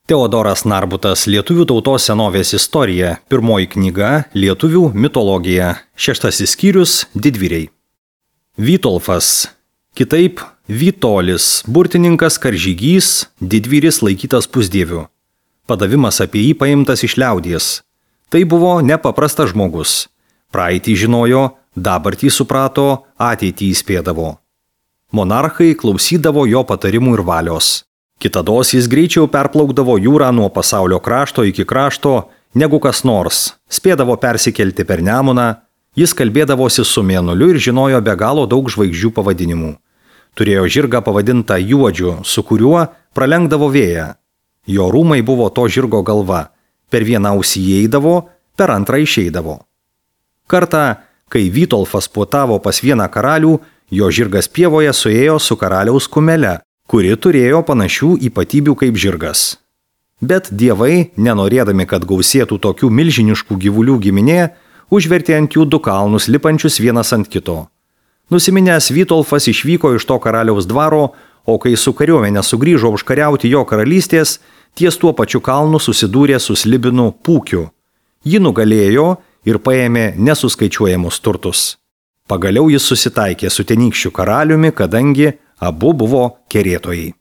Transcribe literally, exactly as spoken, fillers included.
Teodoras Narbutas Lietuvių tautos senovės istorija, pirmoji knyga Lietuvių mitologija, šeštasis skyrius Didvyriai. Vytolfas, kitaip Vytolis, burtininkas karžygys, didvyris laikytas pusdieviu. Padavimas apie jį paimtas iš liaudies. Tai buvo nepaprastas žmogus. Praeitį žinojo, dabartį suprato, ateitį įspėdavo. Monarchai klausydavo jo patarimų ir valios. Kitados jis greičiau perplaukdavo jūrą nuo pasaulio krašto iki krašto, negu kas nors, spėdavo persikelti per Nemuną, jis kalbėdavosi su Mėnuliu ir žinojo be galo daug žvaigždžių pavadinimų. Turėjo žirgą pavadintą Juodžiu, su kuriuo pralenkdavo vėją. Jo rūmai buvo to žirgo galva, per vieną ausį įeidavo, per antrą išeidavo. Kartą, kai Vytolfas puotavo pas vieną karalių, jo žirgas pievoje suėjo su karaliaus kumele, kuri turėjo panašių ypatybių kaip žirgas. Bet dievai, nenorėdami, kad gausėtų tokių milžiniškų gyvulių giminė, užvertė ant jų du kalnus lipančius vienas ant kito. Nusiminęs Vytolfas išvyko iš to karaliaus dvaro, o kai su kariuomenė sugrįžo užkariauti jo karalystės, ties tuo pačiu kalnu susidūrė su slibinu Pūkiu. Jį nugalėjo ir paėmė nesuskaičiuojamus turtus. Pagaliau jis susitaikė su tenykščiu karaliumi, kadangi abu buvo kerėtojai.